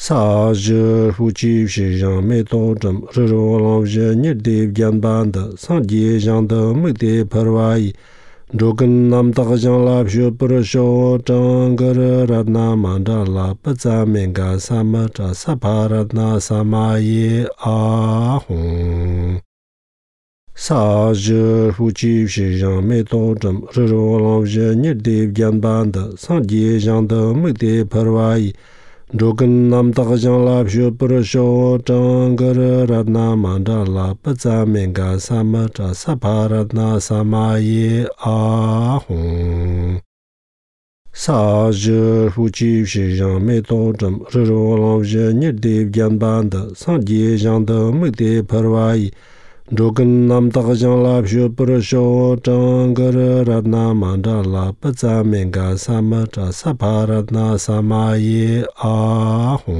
Sa je hu chi shi yang me to zhem ri ro lao je ni de bian ban de sang jie yang de me de per wai zhou gen nam da jiang la xue per xiao zhang ge re na ma da la ba za men ga sa ma zha sa pa ra na sa ma ye a hong Sa je hu chi shi yang me to zhem ri ro lao je ni de bian ban de sang jie yang de me de per wai zhou gen nam da jiang la xue per xiao zhang ge re na ma da la ba za men ga sa ma zha sa pa ra na sa ma ye a hong Sa je hu chi shi yang me to zhem ri ro lao je ni de bian ban de sang jie yang de me de per wai zhou gen nam da jiang la xue per xiao zhang ge re na ma da la ba za men ga sa ma zha sa pa ra na sa ma ye a hong